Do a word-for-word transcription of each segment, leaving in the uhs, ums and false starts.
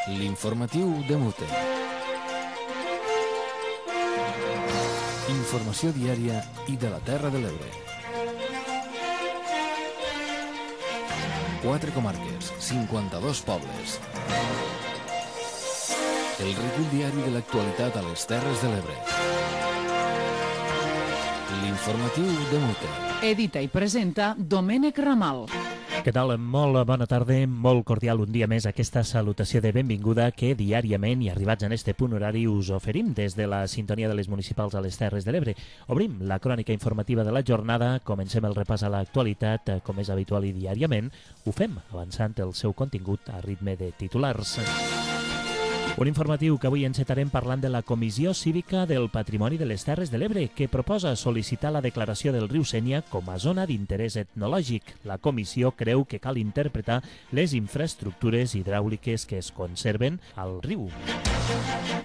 L'informatiu de Mute. Informació diària i de la Terra de l'Ebre. Quatre comarques, cinquanta-dos pobles. El recull diari de l'actualitat a les Terres de l'Ebre. L'informatiu de Mute. Edita i presenta Domènec Ramal. Què tal? Molt bona tarda, molt cordial un dia més aquesta salutació de benvinguda que diàriament i arribats en este punt horari us oferim des de la sintonia de les municipals a les Terres de l'Ebre. Obrim la crònica informativa de la jornada, comencem el repàs a l'actualitat, com és habitual i diàriament, ho fem avançant el seu contingut a ritme de titulars. Un informatiu que avui encetarem parlant de la Comissió Cívica del Patrimoni de les Terres de l'Ebre, que proposa sol·licitar la declaració del riu Sénia com a zona d'interès etnològic. La comissió creu que cal interpretar les infraestructures hidràuliques que es conserven al riu.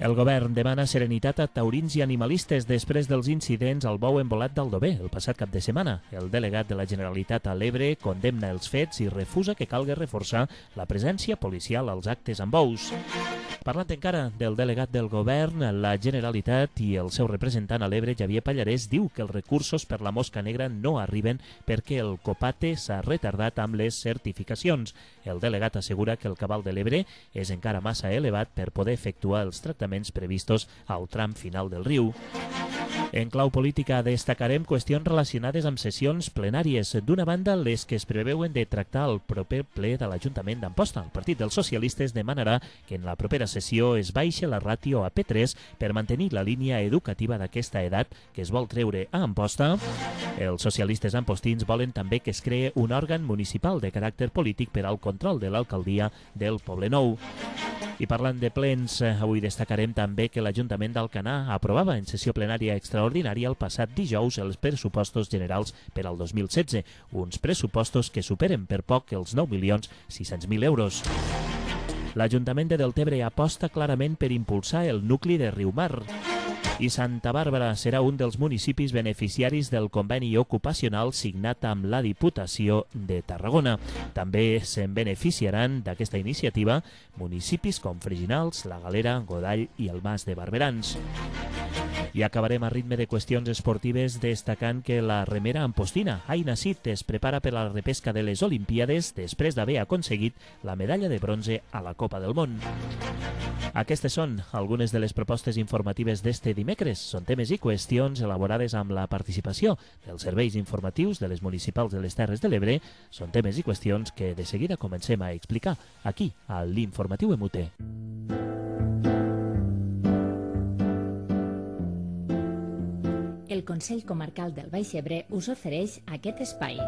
El govern demana serenitat a taurins i animalistes després dels incidents al bou embolat d'Aldover el passat cap de setmana. El delegat de la Generalitat a l'Ebre condemna els fets i refusa que calgui reforçar la presència policial als actes amb bous. Parlant encara del delegat del govern, la Generalitat i el seu representant a l'Ebre, Javier Pallarès, diu que els recursos per la mosca negra no arriben perquè el COPATE s'ha retardat amb les certificacions. El delegat assegura que el cabal de l'Ebre és encara massa elevat per poder efectuar els tractaments previstos al tram final del riu. En clau política destacarem qüestions relacionades amb sessions plenàries. D'una banda, les que es preveuen de tractar el proper ple de l'Ajuntament d'Amposta. El Partit dels Socialistes demanarà que en la propera sessió es baixa la ràtio a P tres per mantenir la línia educativa d'aquesta edat que es vol treure a Amposta. Els socialistes ampostins volen també que es cree un òrgan municipal de caràcter polític per al control de l'alcaldia del Poblenou. I parlant de plens, avui destacarem també que l'Ajuntament d'Alcanar aprovava en sessió plenària extraordinària el passat dijous els pressupostos generals per al dos mil setze, uns pressupostos que superen per poc els nou milions sis-cents mil euros. L'Ajuntament de Deltebre aposta clarament per impulsar el nucli de Riumar. I Santa Bàrbara serà un dels municipis beneficiaris del conveni ocupacional signat amb la Diputació de Tarragona. També se'n beneficiaran d'aquesta iniciativa municipis com Freginals, La Galera, Godall i el Mas de Barberans. I acabarem a ritme de qüestions esportives destacant que la remera ampostina Aina Cid es prepara per a la repesca de les Olimpíades després d'haver aconseguit la medalla de bronze a la Copa del Món. Aquestes són algunes de les propostes informatives d'este dimecres. Són temes i qüestions elaborades amb la participació dels serveis informatius de les municipals de les Terres de l'Ebre. Són temes i qüestions que de seguida comencem a explicar aquí, a l'Informatiu M U T. El Consell Comarcal del Baix Ebre us ofereix aquest espai.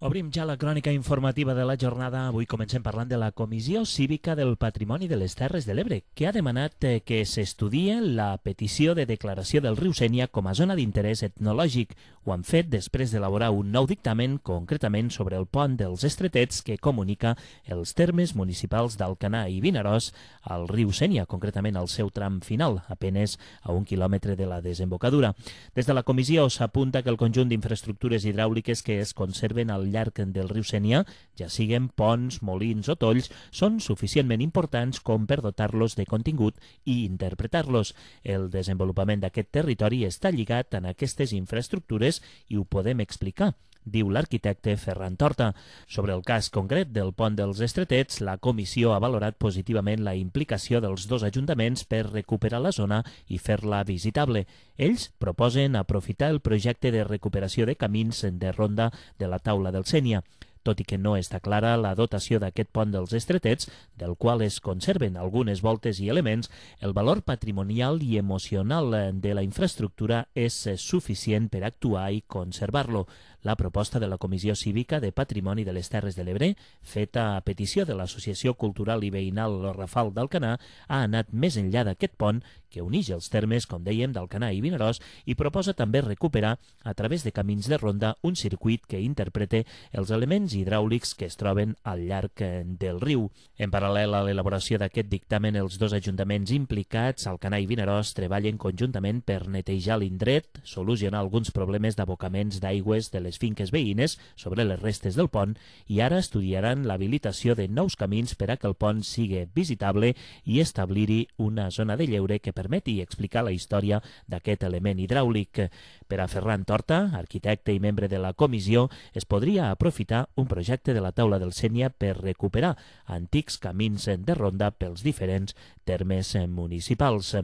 Obrim ja la crònica informativa de la jornada. Avui comencem parlant de la Comissió Cívica del Patrimoni de les Terres de l'Ebre, que ha demanat que s'estudie la petició de declaració del riu Sénia com a zona d'interès etnològic. Ho han fet després d'elaborar un nou dictamen, concretament sobre el pont dels Estretets, que comunica els termes municipals d'Alcanar i Vinaròs al riu Sénia, concretament al seu tram final, a penes a un quilòmetre de la desembocadura. Des de la comissió s'apunta que el conjunt d'infraestructures hidràuliques que es conserven al llarg del riu Sénia, ja siguen ponts, molins o tolls, són suficientment importants com per dotar-los de contingut i interpretar-los. El desenvolupament d'aquest territori està lligat en aquestes infraestructures i ho podem explicar, diu l'arquitecte Ferran Torta. Sobre el cas concret del pont dels Estretets, la comissió ha valorat positivament la implicació dels dos ajuntaments per recuperar la zona i fer-la visitable. Ells proposen aprofitar el projecte de recuperació de camins de ronda de la taula del Sénia. Tot i que no està clara la dotació d'aquest pont dels Estretets, del qual es conserven algunes voltes i elements, el valor patrimonial i emocional de la infraestructura és suficient per actuar i conservar-lo. La proposta de la Comissió Cívica de Patrimoni de les Terres de l'Ebre, feta a petició de l'Associació Cultural i Veïnal Rafal d'Alcanar, ha anat més enllà d'aquest pont que uneix els termes, com dèiem, d'Alcanar i Vinaròs i proposa també recuperar, a través de camins de ronda, un circuit que interprete els elements hidràulics que es troben al llarg del riu. En paral·lel a l'elaboració d'aquest dictamen, els dos ajuntaments implicats, Alcanar i Vinaròs, treballen conjuntament per netejar l'indret, solucionar alguns problemes d'abocaments d'aigües de les finques veïnes sobre les restes del pont i ara estudiaran l'habilitació de nous camins per a que el pont sigui visitable i establir-hi una zona de lleure que permeti explicar la història d'aquest element hidràulic. Per a Ferran Torta, arquitecte i membre de la comissió, es podria aprofitar un projecte de la taula del Sénia per recuperar antics camins de ronda pels diferents termes municipals.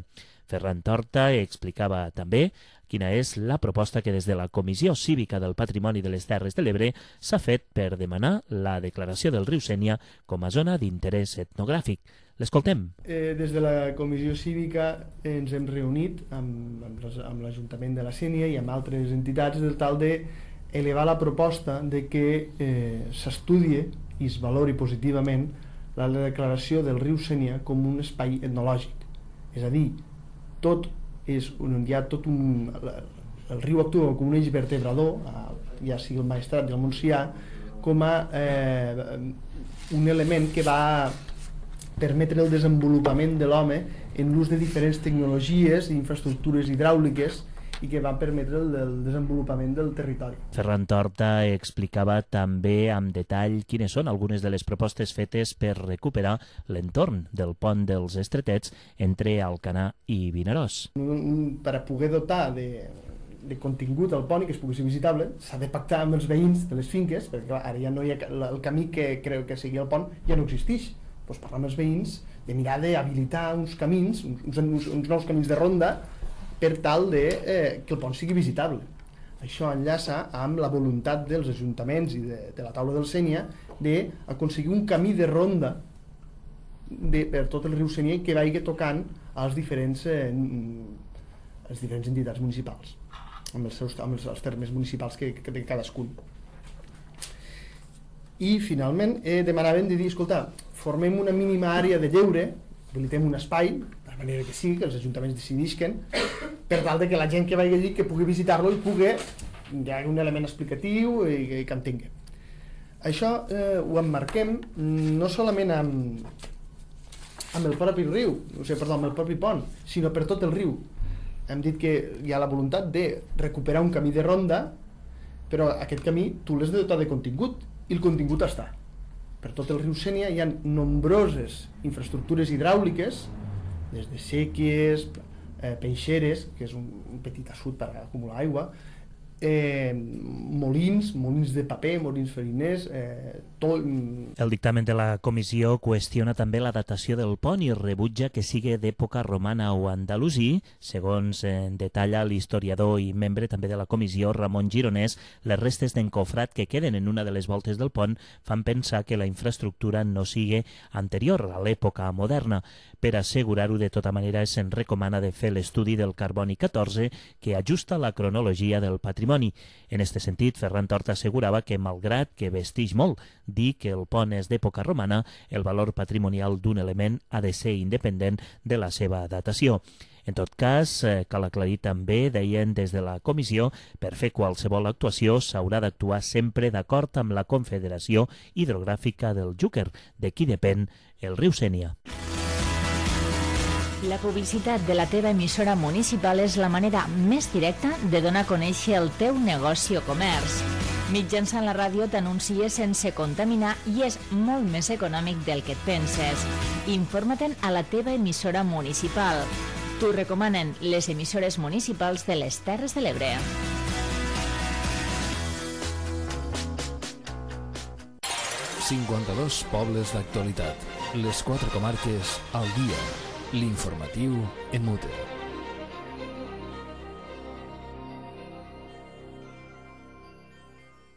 Ferran Torta explicava també quina és la proposta que des de la Comissió Cívica del Patrimoni de les Terres de l'Ebre s'ha fet per demanar la declaració del riu Sénia com a zona d'interès etnogràfic. L'escoltem. Eh, des de la Comissió Cívica ens hem reunit amb, amb, amb l'Ajuntament de la Sénia i amb altres entitats de tal de elevar la proposta de que eh, s'estudie i es valori positivament la declaració del riu Sénia com un espai etnològic. És a dir, tot és un, hi ha tot un, el riu actua com un eix vertebrador, ja sigui el Maestrat i el Montsià, com a eh, un element que va permetre el desenvolupament de l'home en l'ús de diferents tecnologies i infraestructures hidràuliques i que van permetre el, el desenvolupament del territori. Ferran Torta explicava també amb detall quines són algunes de les propostes fetes per recuperar l'entorn del pont dels Estretets entre Alcanar i Vinaròs. Per a poder dotar de, de contingut al pont i que es pugui ser visitable, s'ha de pactar amb els veïns de les finques, perquè clar, ara ja no hi ha, el camí que creu que sigui el pont ja no existeix. Doncs parlar amb els veïns de mirar d'habilitar uns camins, uns, uns, uns nous camins de ronda per tal de eh, que el pont sigui visitable. Això enllaça amb la voluntat dels ajuntaments i de, de la taula del Sénia d'aconseguir un camí de ronda de, per tot el riu Sénia que vagi tocant als diferents, eh, les diferents entitats municipals, amb els, seus, amb els, els termes municipals que, que de cadascun. I finalment eh, demanaven de dir, escolta, formem una mínima àrea de lleure, habilitem un espai, de manera que sí, que els ajuntaments decidisquen, per tal de que la gent que vagi allí que pugui visitar-lo i pugui, hi ha un element explicatiu i, i que entengui. Això eh, ho emmarquem no solament amb, amb el propi riu, o sigui, perdó, amb el propi pont, sinó per tot el riu. Hem dit que hi ha la voluntat de recuperar un camí de ronda, però aquest camí tu l'has de dotar de contingut, i el contingut està. Per tot el riu Sénia hi ha nombroses infraestructures hidràuliques, des de séquies, eh, peixeres, que és un, un petit assut per acumular aigua, eh, molins, molins de paper, molins fariners, eh, tot... El dictamen de la comissió qüestiona també la datació del pont i rebutja que sigui d'època romana o andalusí. Segons eh, detalla l'historiador i membre també de la comissió, Ramon Gironès, les restes d'encofrat que queden en una de les voltes del pont fan pensar que la infraestructura no sigui anterior a l'època moderna. Per assegurar-ho de tota manera, se'n recomana de fer l'estudi del carboni catorze que ajusta la cronologia del patrimoni. En aquest sentit, Ferran Torta assegurava que, malgrat que vesteix molt dir que el pont és d'època romana, el valor patrimonial d'un element ha de ser independent de la seva datació. En tot cas, eh, cal aclarir també, deien des de la comissió, per fer qualsevol actuació s'haurà d'actuar sempre d'acord amb la Confederació Hidrogràfica del Xúquer, de qui depèn el riu Sénia. La publicitat de la teva emissora municipal és la manera més directa de donar a conèixer el teu negoci o comerç. Mitjançant la ràdio t'anuncies sense contaminar i és molt més econòmic del que et penses. Informa-te'n a la teva emissora municipal. T'ho recomanen les emissores municipals de les Terres de l'Ebre. cinquanta-dos pobles d'actualitat. Les quatre comarques al dia. L'informatiu en mute.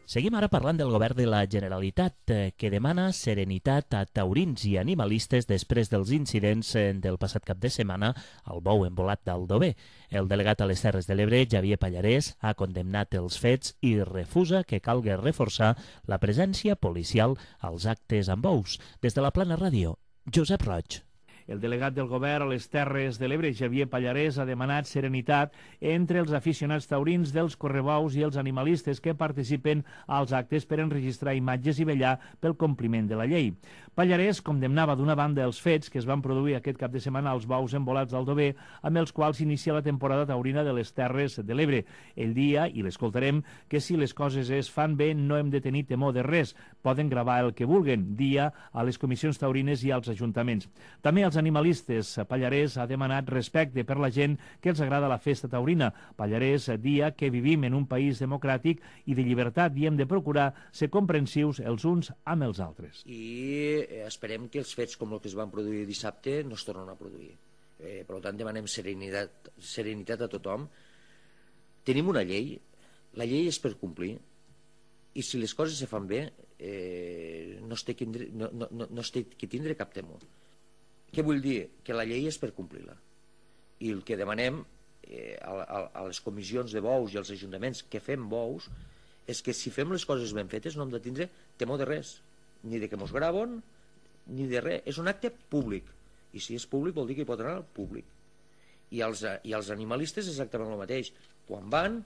Seguim ara parlant del govern de la Generalitat, que demana serenitat a taurins i animalistes després dels incidents del passat cap de setmana al bou embolat d'Aldover. El delegat a les Terres de l'Ebre, Javier Pallarès, ha condemnat els fets i refusa que calgui reforçar la presència policial als actes amb bous. Des de la Plana Ràdio, Josep Roig. El delegat del govern a les Terres de l'Ebre, Xavier Pallarès, ha demanat serenitat entre els aficionats taurins dels correbous i els animalistes que participen als actes per enregistrar imatges i vetllar pel compliment de la llei. Pallarès condemnava d'una banda els fets que es van produir aquest cap de setmana als bous embolats d'Aldover, amb els quals s'inicia la temporada taurina de les Terres de l'Ebre. Ell dia, i l'escoltarem, que si les coses es fan bé no hem de tenir temor de res, poden gravar el que vulguen, dia a les comissions taurines i als ajuntaments. També als animalistes, Pallarès ha demanat respecte per la gent que els agrada la festa taurina. Pallarès dia que vivim en un país democràtic i de llibertat i hem de procurar ser comprensius els uns amb els altres. I esperem que els fets com el que es van produir dissabte no es tornen a produir. Eh, per tant, demanem serenitat, serenitat a tothom. Tenim una llei, la llei és per complir, i si les coses se fan bé, eh, no, es té que, no, no, no es té que tindre cap temor. Què vull dir? Que la llei és per complir-la. I el que demanem eh, a, a, a les comissions de bous i als ajuntaments que fem bous és que si fem les coses ben fetes no hem de tindre temor de res, ni de que mos graven, ni de res. És un acte públic, i si és públic vol dir que hi pot anar al públic. I els, i els animalistes exactament el mateix. Quan van,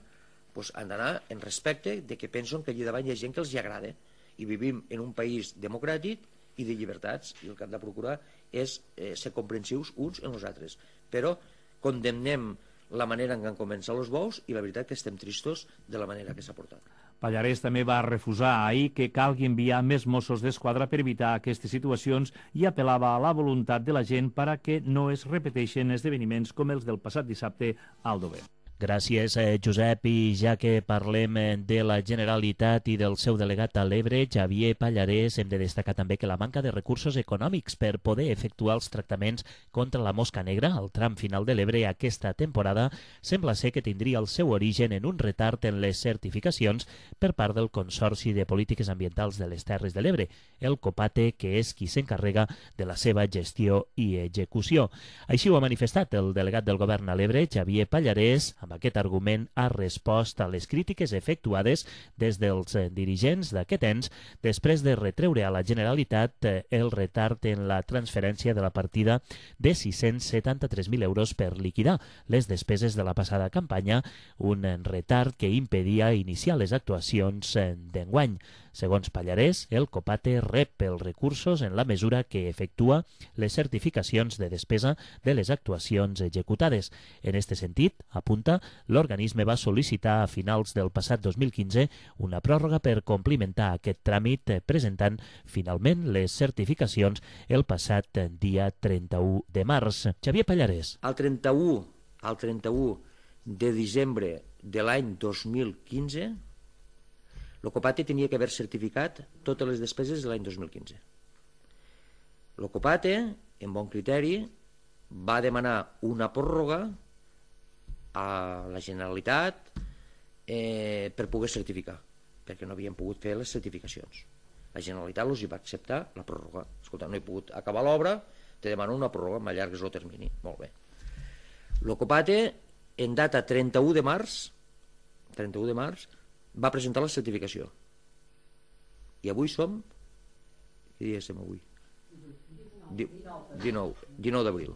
doncs han d'anar en respecte de que pensen que allà davant hi ha gent que els hi agrada, i vivim en un país democràtic i de llibertats, i el que hem de procurar és eh, ser comprensius uns en els altres. Però condemnem la manera en què han començat els bous i la veritat que estem tristos de la manera que s'ha portat. Pallarès també va refusar ahir que calgui enviar més Mossos d'Esquadra per evitar aquestes situacions i apel·lava a la voluntat de la gent per a que no es repeteixin esdeveniments com els del passat dissabte a Aldover. Gràcies, eh, Josep. I ja que parlem de la Generalitat i del seu delegat a l'Ebre, Xavier Pallarès, hem de destacar també que la manca de recursos econòmics per poder efectuar els tractaments contra la mosca negra al tram final de l'Ebre aquesta temporada sembla ser que tindria el seu origen en un retard en les certificacions per part del Consorci de Polítiques Ambientals de les Terres de l'Ebre, el COPATE, que és qui s'encarrega de la seva gestió i execució. Així ho ha manifestat el delegat del govern a l'Ebre, Xavier Pallarès. Amb aquest argument ha respost a les crítiques efectuades des dels dirigents d'aquest ens després de retreure a la Generalitat el retard en la transferència de la partida de sis-cents setanta-tres mil euros per liquidar les despeses de la passada campanya, un retard que impedia iniciar les actuacions d'enguany. Segons Pallarès, el COPATE rep els recursos en la mesura que efectua les certificacions de despesa de les actuacions executades. En aquest sentit, apunta, l'organisme va sol·licitar a finals del passat dos mil quinze una pròrroga per complimentar aquest tràmit, presentant finalment les certificacions el passat dia trenta-u de març. Xavier Pallarès. El trenta-u, el trenta-u de desembre de l'any dos mil quinze, el COPATE tenia que haver certificat totes les despeses de l'any dos mil quinze. El COPATE, en bon criteri, va demanar una pròrroga a la Generalitat eh, per poder certificar, perquè no havien pogut fer les certificacions. La Generalitat els hi va acceptar la pròrroga. Escolta, no he pogut acabar l'obra, te demano una pròrroga, m'allargues el termini. Molt bé. El COPATE, en data trenta-u de març, trenta-u de març, va presentar la certificació. I avui som... Què dia estem avui? dinou, dinou d'abril.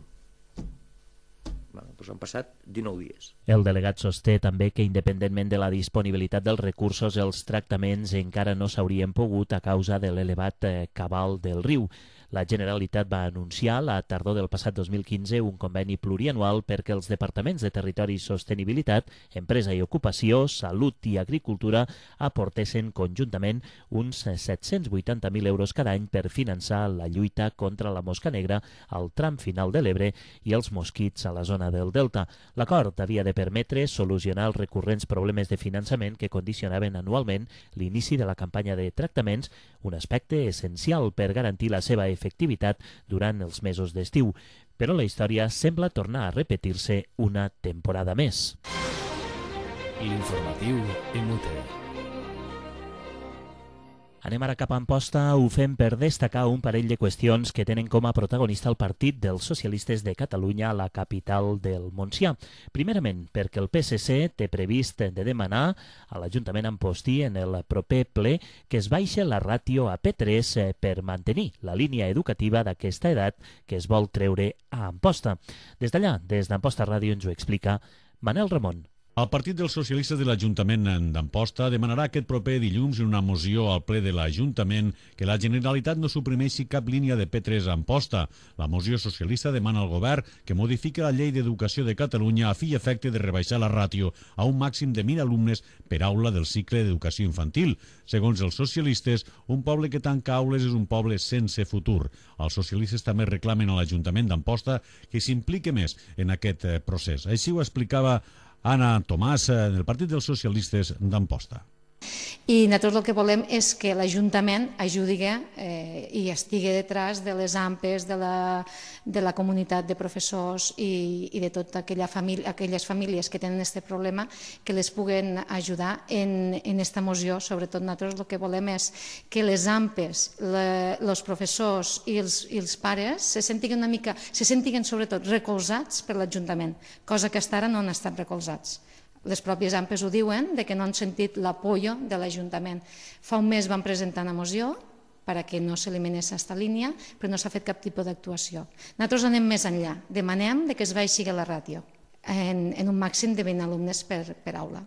Bueno, doncs han passat dinou dies. El delegat sosté també que, independentment de la disponibilitat dels recursos, els tractaments encara no s'haurien pogut a causa de l'elevat cabal del riu. La Generalitat va anunciar la tardor del passat dos mil quinze un conveni plurianual perquè els departaments de Territori i Sostenibilitat, Empresa i Ocupació, Salut i Agricultura aportessin conjuntament uns set-cents vuitanta mil euros cada any per finançar la lluita contra la mosca negra al tram final de l'Ebre i els mosquits a la zona del Delta. L'acord havia de permetre solucionar els recurrents problemes de finançament que condicionaven anualment l'inici de la campanya de tractaments, un aspecte essencial per garantir la seva efectivitat durant els mesos d'estiu. Però la història sembla tornar a repetir-se una temporada més. L'informatiu Imute. Anem ara cap a Amposta, ho fem per destacar un parell de qüestions que tenen com a protagonista el Partit dels Socialistes de Catalunya a la capital del Montsià. Primerament, perquè el P S C té previst de demanar a l'Ajuntament ampostí en el proper ple que es baixe la ràtio a P tres per mantenir la línia educativa d'aquesta edat que es vol treure a Amposta. Des d'allà, des d'Amposta Ràdio, ens ho explica Manel Ramon. El Partit dels Socialistes de l'Ajuntament d'Amposta demanarà aquest proper dilluns en una moció al ple de l'Ajuntament que la Generalitat no suprimeixi cap línia de P tres a Amposta. La moció socialista demana al govern que modifiqui la llei d'educació de Catalunya a fi i efecte de rebaixar la ràtio a un màxim de mil alumnes per aula del cicle d'educació infantil. Segons els socialistes, un poble que tanca aules és un poble sense futur. Els socialistes també reclamen a l'Ajuntament d'Amposta que s'impliqui més en aquest procés. Així ho explicava Anna Tomàs, del Partit dels Socialistes d'Amposta. I nosaltres el que volem és que l'Ajuntament ajudi eh, i estigui detrás de les A M P Es, de la, de la comunitat de professors i, i de totes aquella família, aquelles famílies que tenen aquest problema, que les puguen ajudar en aquesta moció. Sobretot nosaltres el que volem és que les A M P Es, els professors i els, i els pares se sentin una mica, se sentin sobretot recolzats per l'Ajuntament, cosa que fins ara no han estat recolzats. Les pròpies A M P Es ho diuen, de que no han sentit l'apoyo de l'Ajuntament. Fa un mes van presentar una moció perquè no s'eliminés aquesta línia, però no s'ha fet cap tipus d'actuació. Nosaltres anem més enllà. Demanem que es baixi la ràtio en, en un màxim de vint alumnes per, per aula.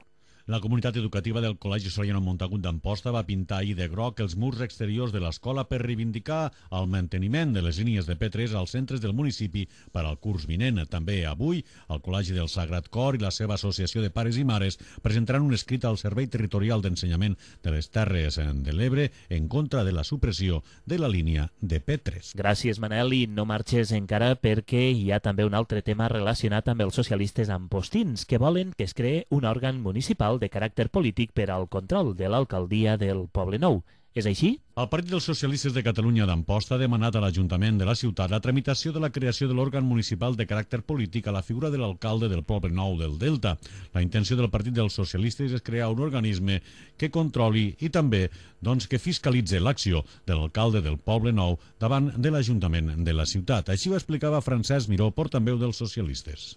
La comunitat educativa del Col·legi Soriano Montagut d'Amposta va pintar ahir de groc els murs exteriors de l'escola per reivindicar el manteniment de les línies de P tres als centres del municipi per al curs vinent. També avui, el Col·legi del Sagrat Cor i la seva associació de pares i mares presentaran un escrit al Servei Territorial d'Ensenyament de les Terres de l'Ebre en contra de la supressió de la línia de P tres. Gràcies, Manel, i no marxes encara perquè hi ha també un altre tema relacionat amb els socialistes ampostins que volen que es creï un òrgan municipal de caràcter polític per al control de l'alcaldia del Poble Nou. És així? El Partit dels Socialistes de Catalunya d'Amposta ha demanat a l'Ajuntament de la ciutat la tramitació de la creació de l'òrgan municipal de caràcter polític a la figura de l'alcalde del Poble Nou del Delta. La intenció del Partit dels Socialistes és crear un organisme que controli i també doncs, que fiscalitzi l'acció de l'alcalde del Poble Nou davant de l'Ajuntament de la ciutat. Així ho explicava Francesc Miró, portaveu dels socialistes.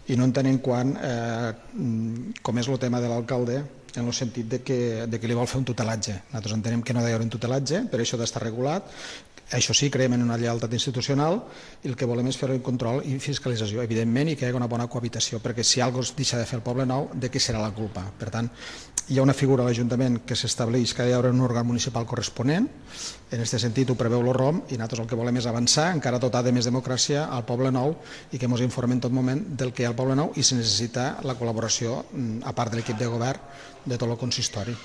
I no entenem quan, eh, com és el tema de l'alcalde, en el sentit de que, de que li vol fer un tutelatge. Nosaltres entenem que no ha d'haver un tutelatge, per això ha d'estar regulat. Això sí, creiem en una lleialtat institucional i el que volem és fer un control i fiscalització, evidentment, i que hi hagi una bona cohabitació, perquè si alguna cosa es deixa de fer el Poble Nou, de què serà la culpa? Per tant, hi ha una figura a l'Ajuntament que s'estableix que ha d'haver un òrgan municipal corresponent, en aquest sentit ho preveu l'O R O M, i nosaltres el que volem és avançar, encara dotar de més democràcia al Poble Nou i que ens informen en tot moment del que hi ha al Poble Nou i si necessita la col·laboració, a part de l'equip de govern, de tot el consistori.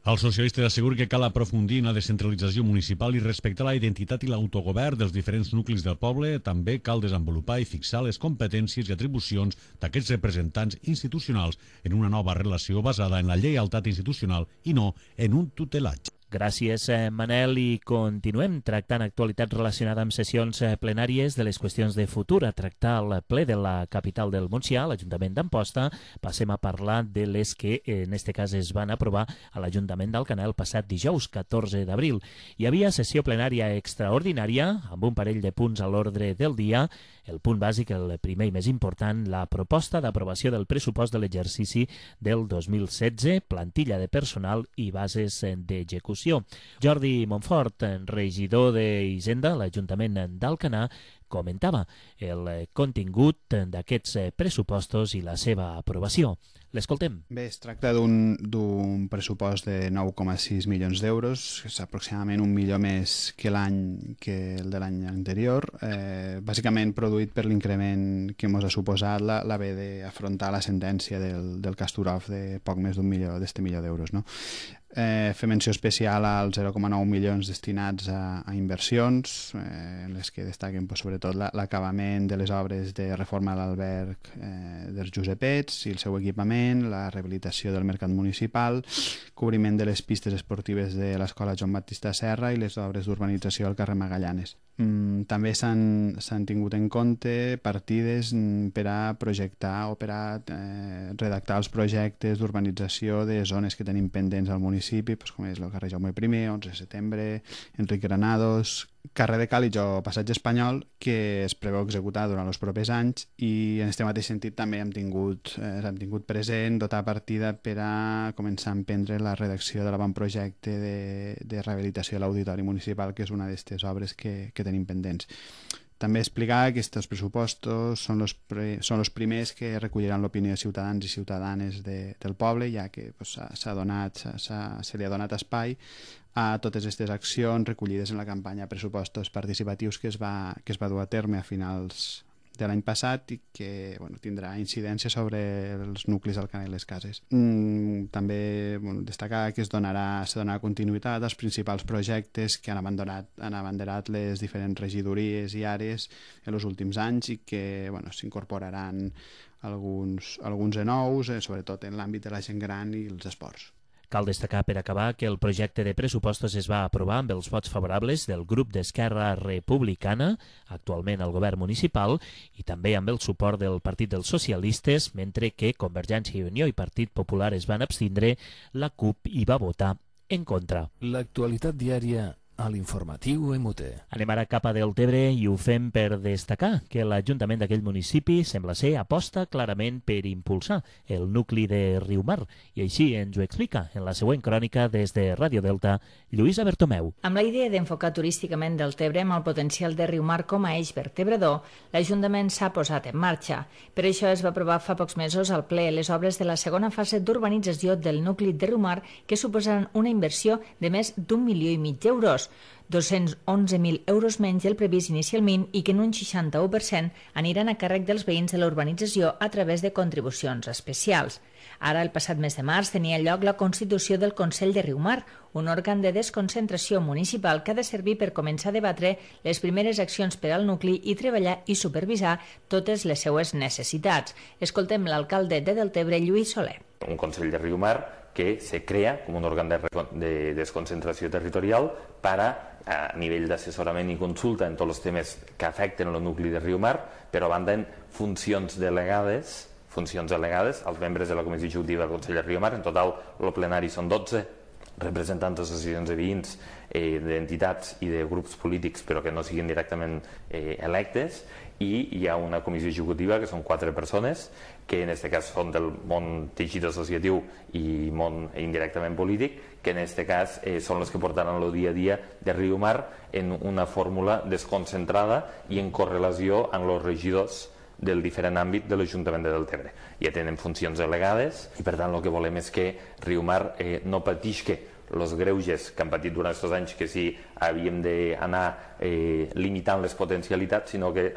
Els socialistes asseguren que cal aprofundir en la descentralització municipal i respectar la identitat i l'autogovern dels diferents nuclis del poble. També cal desenvolupar i fixar les competències i atribucions d'aquests representants institucionals en una nova relació basada en la lleialtat institucional i no en un tutelatge. Gràcies, Manel, i continuem tractant actualitats relacionades amb sessions plenàries de les qüestions de futur. A tractar el ple de la capital del Montsià, l'Ajuntament d'Amposta, passem a parlar de les que en aquest cas es van aprovar a l'Ajuntament d'Alcanar el passat dijous, catorze d'abril. Hi havia sessió plenària extraordinària amb un parell de punts a l'ordre del dia. El punt bàsic, el primer i més important, la proposta d'aprovació del pressupost de l'exercici del dos mil setze, plantilla de personal i bases d'execució. Jordi Montfort, regidor d'Hisenda a l'Ajuntament d'Alcanar, comentava el contingut d'aquests pressupostos i la seva aprovació. L'escoltem. Bé, es tracta d'un pressupost de nou coma sis milions d'euros, que és aproximadament un milió més que l'any que el de l'any anterior, eh, bàsicament produït per l'increment que ens ha suposat la, l'haver d'afrontar la sentència del, del Castorov de poc més d'un milió, d'este milió d'euros, no? Eh, fer menció especial als zero coma nou milions destinats a, a inversions, eh, en les que destaquen pues, sobretot la, l'acabament de les obres de reforma a l'alberg eh, dels Josepets i el seu equipament, la rehabilitació del mercat municipal, cobriment de les pistes esportives de l'Escola Joan Baptista Serra i les obres d'urbanització al carrer Magallanes. Mm, també s'han, s'han tingut en compte partides per a projectar o per a eh, redactar els projectes d'urbanització de zones que tenim pendents al municipi municipi, pues, com és el carrer Jaume I, onze de setembre, Enric Granados, carrer de Càlig o Passeig Espanyol, que es preveu executar durant els propers anys, i en aquest mateix sentit també hem tingut, eh, hem tingut present dotar partida per a començar a emprendre la redacció de l'avantprojecte de, de rehabilitació de l'Auditori Municipal, que és una d'aquestes obres que, que tenim pendents. També explicar que aquests pressupostos són els, pre, són els primers que recolliran l'opinió de ciutadans i ciutadanes de, del poble, ja que pues, s'ha donat, s'ha, se li ha donat espai a totes aquestes accions recollides en la campanya pressupostos participatius que es va, que es va dur a terme a finals de l'any passat i que bueno, tindrà incidència sobre els nuclis del Canal i les Cases. Mm, també bueno, destacar que es donarà, se donarà continuïtat als principals projectes que han abandonat, han abanderat les diferents regidories i àrees en els últims anys i que bueno, s'incorporaran alguns, alguns de nous, eh, sobretot en l'àmbit de la gent gran i els esports. Cal destacar, per acabar, que el projecte de pressupostos es va aprovar amb els vots favorables del grup d'Esquerra Republicana, actualment al govern municipal, i també amb el suport del Partit dels Socialistes, mentre que Convergència i Unió i Partit Popular es van abstindre, la CUP hi va votar en contra. L'actualitat diària a l'informatiu M U T. Anem ara cap a Deltebre i ho fem per destacar que l'Ajuntament d'aquell municipi sembla ser aposta clarament per impulsar el nucli de Riumar i així ens ho explica en la següent crònica des de Ràdio Delta, Lluïsa Bertomeu. Amb la idea d'enfocar turísticament Deltebre amb el potencial de Riumar com a eix vertebrador, l'Ajuntament s'ha posat en marxa. Per això es va aprovar fa pocs mesos al ple les obres de la segona fase d'urbanització del nucli de Riumar, que suposaran una inversió de més d'un milió i mig d'euros, dos-cents onze mil euros menys del previst inicialment i que en un seixanta-u per cent aniran a càrrec dels veïns de la urbanització a través de contribucions especials. Ara, el passat mes de març, tenia lloc la constitució del Consell de Riumar, un òrgan de desconcentració municipal que ha de servir per començar a debatre les primeres accions per al nucli i treballar i supervisar totes les seues necessitats. Escoltem l'alcalde de Deltebre, Lluís Soler. Un Consell de Riumar que se crea com un òrgan de, de desconcentració territorial para, a nivell d'assessorament i consulta en tots els temes que afecten el nucli de Riumar, però a banda en funcions delegades, funcions delegades als membres de la Comissió Executiva del Consell de Riumar. En total, el plenari són dotze representants d'associacions de veïns, eh, d'entitats i de grups polítics, però que no siguin directament eh, electes, i hi ha una comissió executiva que són quatre persones que en aquest cas són del món teixit associatiu i món indirectament polític, que en aquest cas eh, són les que portaran el dia a dia de Riumar en una fórmula desconcentrada i en correlació amb els regidors del diferent àmbit de l'Ajuntament de Deltebre. Ja tenen funcions delegades i per tant el que volem és que Riumar eh, no patisca els greuges que han patit durant aquests anys, que sí havíem d'anar eh, limitant les potencialitats, sinó que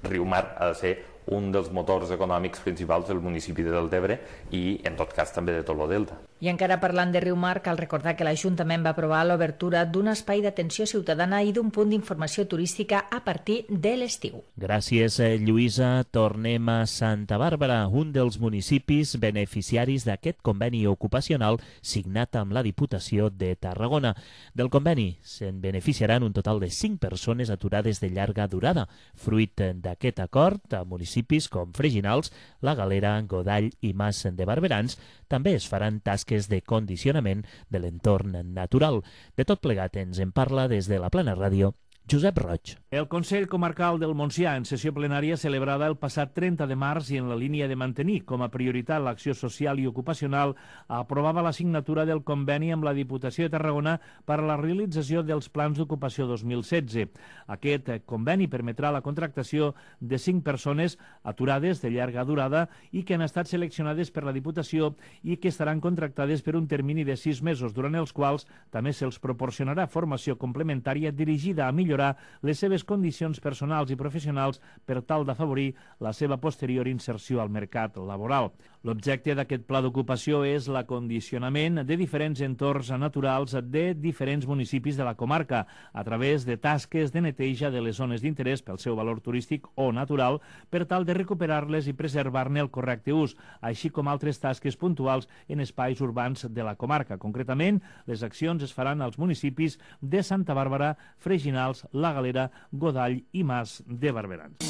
Riumar ha de ser un dels motors econòmics principals del municipi de Deltebre i, en tot cas, també de tot el Delta. I encara parlant de Riumar, cal recordar que l'Ajuntament va aprovar l'obertura d'un espai d'atenció ciutadana i d'un punt d'informació turística a partir de l'estiu. Gràcies, Lluïsa. Tornem a Santa Bàrbara, un dels municipis beneficiaris d'aquest conveni ocupacional signat amb la Diputació de Tarragona. Del conveni se'n beneficiaran un total de cinc persones aturades de llarga durada. Fruit d'aquest acord, a municipis com Freginals, La Galera, Godall i Mas de Barberans també es faran tasques de condicionament de l'entorn natural. De tot plegat ens en parla des de la Plana Ràdio Josep Roig. El Consell Comarcal del Montsià, en sessió plenària celebrada el passat trenta de març i en la línia de mantenir com a prioritat l'acció social i ocupacional, aprovava la signatura del conveni amb la Diputació de Tarragona per a la realització dels plans d'ocupació dos mil setze. Aquest conveni permetrà la contractació de cinc persones aturades de llarga durada i que han estat seleccionades per la Diputació i que estaran contractades per un termini de sis mesos, durant els quals també se'ls proporcionarà formació complementària dirigida a millorar les seves condicions personals i professionals per tal d'afavorir la seva posterior inserció al mercat laboral. L'objecte d'aquest pla d'ocupació és l'acondicionament de diferents entorns naturals de diferents municipis de la comarca a través de tasques de neteja de les zones d'interès pel seu valor turístic o natural per tal de recuperar-les i preservar-ne el correcte ús, així com altres tasques puntuals en espais urbans de la comarca. Concretament, les accions es faran als municipis de Santa Bàrbara, Freginals, La Galera, Godall i Mas de Barberans.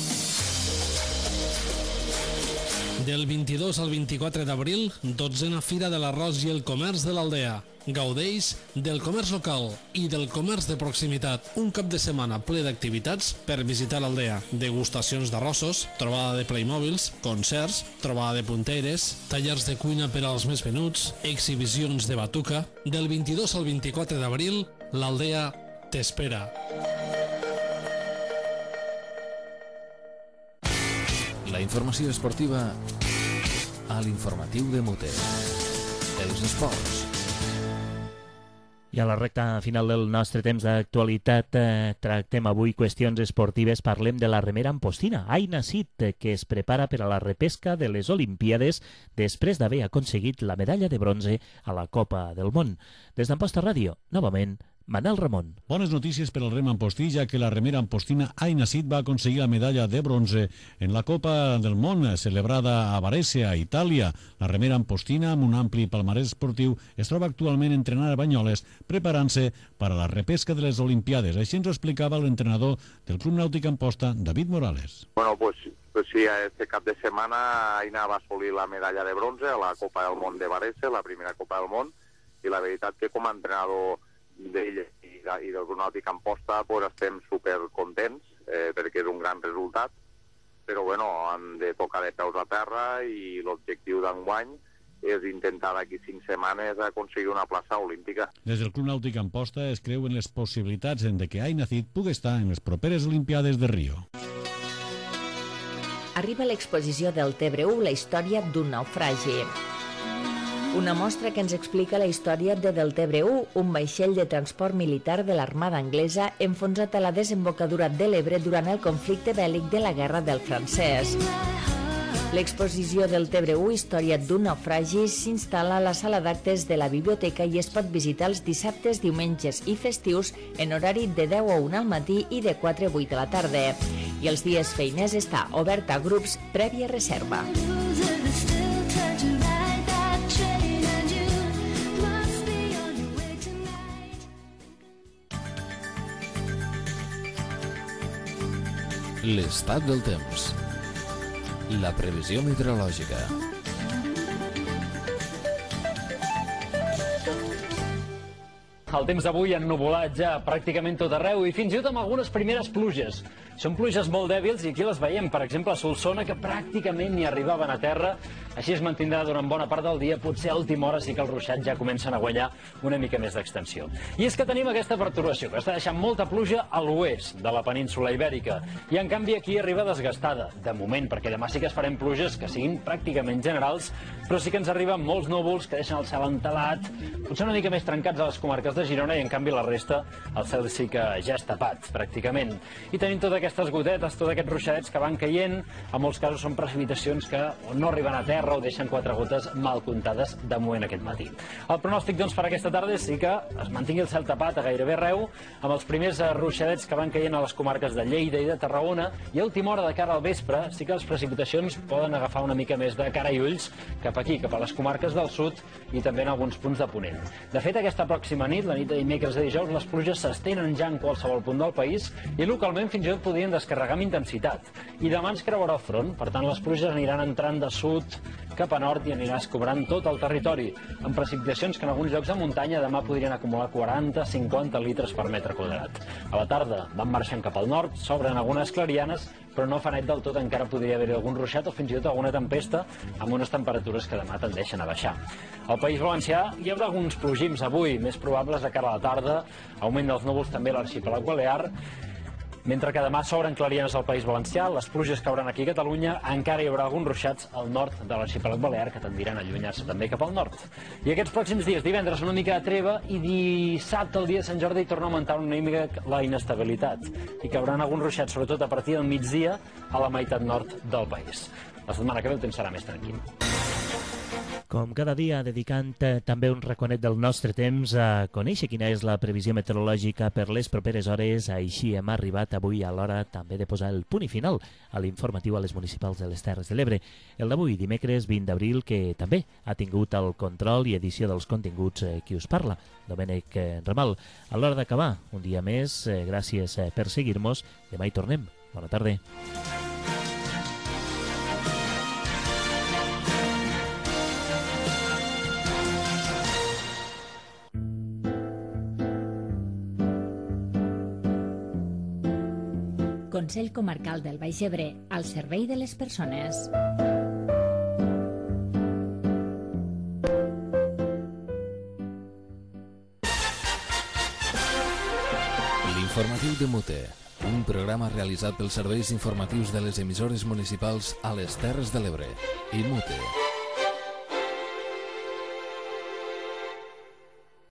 Del vint-i-dos al vint-i-quatre d'abril, dotzena Fira de l'Arròs i el Comerç de l'Aldea. Gaudeix del comerç local i del comerç de proximitat. Un cap de setmana ple d'activitats per visitar l'Aldea. Degustacions d'arrossos, trobada de Playmobils, concerts, trobada de punteres, tallers de cuina per als més venuts, exhibicions de batuca. Del vint-i-dos al vint-i-quatre d'abril, l'Aldea t'espera. La informació esportiva a l'informatiu de Mute. Els esports. I a la recta final del nostre temps d'actualitat eh, tractem avui qüestions esportives. Parlem de la remera ampostina, Aina Cid, que es prepara per a la repesca de les Olimpíades després d'haver aconseguit la medalla de bronze a la Copa del Món. Des d'Amposta Ràdio, novament, Manel Ramon. Bones notícies per al rem ampostí, ja que la remera ampostina Aina Cid va aconseguir la medalla de bronze en la Copa del Món celebrada a Varese, a Itàlia. La remera ampostina, amb un ampli palmarès esportiu, es troba actualment entrenant a Banyoles, preparant-se per a la repesca de les Olimpiades. Així ens ho explicava l'entrenador del Club Nàutic Amposta, David Morales. Bueno, pues, pues sí, este cap de setmana Aina va assolir la medalla de bronze a la Copa del Món de Varese, la primera Copa del Món, i la veritat que com a entrenador d'ell i, de, i del Club Nàutic Amposta pues, estem supercontents eh, perquè és un gran resultat, però bueno, han de tocar de peus a terra i l'objectiu d'enguany és intentar d'aquí cinc setmanes aconseguir una plaça olímpica. Des del Club Nàutic Amposta es creuen les possibilitats de que Aina Cid pugui estar en les properes Olimpiades de Rio. Arriba l'exposició del Tebre u, la història d'un naufragi. Una mostra que ens explica la història de Del Tebre u, un vaixell de transport militar de l'Armada anglesa enfonsat a la desembocadura de l'Ebre durant el conflicte bèl·lic de la Guerra del Francès. L'exposició del Tebre u, història d'un naufragi, s'instal·la a la sala d'actes de la biblioteca i es pot visitar els dissabtes, diumenges i festius en horari de deu a una al matí i de quatre a vuit de la tarda. I els dies feiners està obert a grups prèvia reserva. L'estat del temps. La previsió meteorològica. El temps d'avui ennuvolat ja pràcticament tot arreu i fins i tot amb algunes primeres pluges. Són pluges molt dèbils i aquí les veiem, per exemple, a Solsona, que pràcticament ni arribaven a terra. Així es mantindrà durant bona part del dia, potser a última hora sí que els ruixats ja comencen a guanyar una mica més d'extensió. I és que tenim aquesta perturbació, que està deixant molta pluja a l'oest de la península Ibèrica. I en canvi aquí arriba desgastada, de moment, perquè demà sí que es farem pluges que siguin pràcticament generals, però sí que ens arriben molts núvols que deixen el cel entelat, potser una mica més trencats a les comarques de Girona i en canvi la resta el cel sí que ja és tapat, pràcticament. I tenim tota aquestes gotetes, tots aquests ruixadets que van caient, en molts casos són precipitacions que no arriben a terra o deixen quatre gotes mal comptades de moment aquest matí. El pronòstic doncs per aquesta tarda sí que es mantingui el cel tapat a gairebé arreu, amb els primers ruixadets que van caient a les comarques de Lleida i de Tarragona, i a última hora de cara al vespre sí que les precipitacions poden agafar una mica més de cara i ulls cap aquí, cap a les comarques del sud i també en alguns punts de Ponent. De fet, aquesta pròxima nit, la nit de dimecres a dijous, les pluges s'estenen ja en qualsevol punt del país i localment fins i tot podrien descarregar amb intensitat. I demà ens creuarà el front, per tant les pluges aniran entrant de sud cap a nord i anirà escobrant tot el territori, amb precipitacions que en alguns llocs de muntanya demà podrien acumular quaranta a cinquanta litres per metre quadrat. A la tarda van marxant cap al nord, s'obren algunes clarianes, però no fa net del tot, encara podria haver-hi algun ruixat o fins i tot alguna tempesta amb unes temperatures que demà tendeixen a baixar. Al País Valencià hi haurà alguns plogims avui, més probables de cara a la tarda, augment dels núvols també a l'arxipèlag balear, mentre que demà s'obren clarianes al País Valencià, les pluges cauran aquí a Catalunya, encara hi haurà alguns ruixats al nord de l'arxipèlag balear que tendiran a allunyar-se també cap al nord. I aquests pròxims dies, divendres una mica de treva i dissabte, el dia de Sant Jordi, torna a augmentar una mica la inestabilitat i cauran alguns ruixats, sobretot a partir del migdia, a la meitat nord del país. La setmana que ve el temps serà més tranquil. Com cada dia, dedicant eh, també un raconet del nostre temps a conèixer quina és la previsió meteorològica per les properes hores. Així hem arribat avui a l'hora també de posar el punt i final a l'informatiu a les municipals de les Terres de l'Ebre. El d'avui, dimecres vint d'abril, que també ha tingut el control i edició dels continguts eh, qui us parla, Domènec eh, Ramal. A l'hora d'acabar, un dia més, eh, gràcies eh, per seguir-nos. Demà hi tornem. Bona tarda. Consell Comarcal del Baix Ebre, al servei de les persones. L'informatiu de Mute, un programa realitzat pels serveis informatius de les emissores municipals a les Terres de l'Ebre i Mute.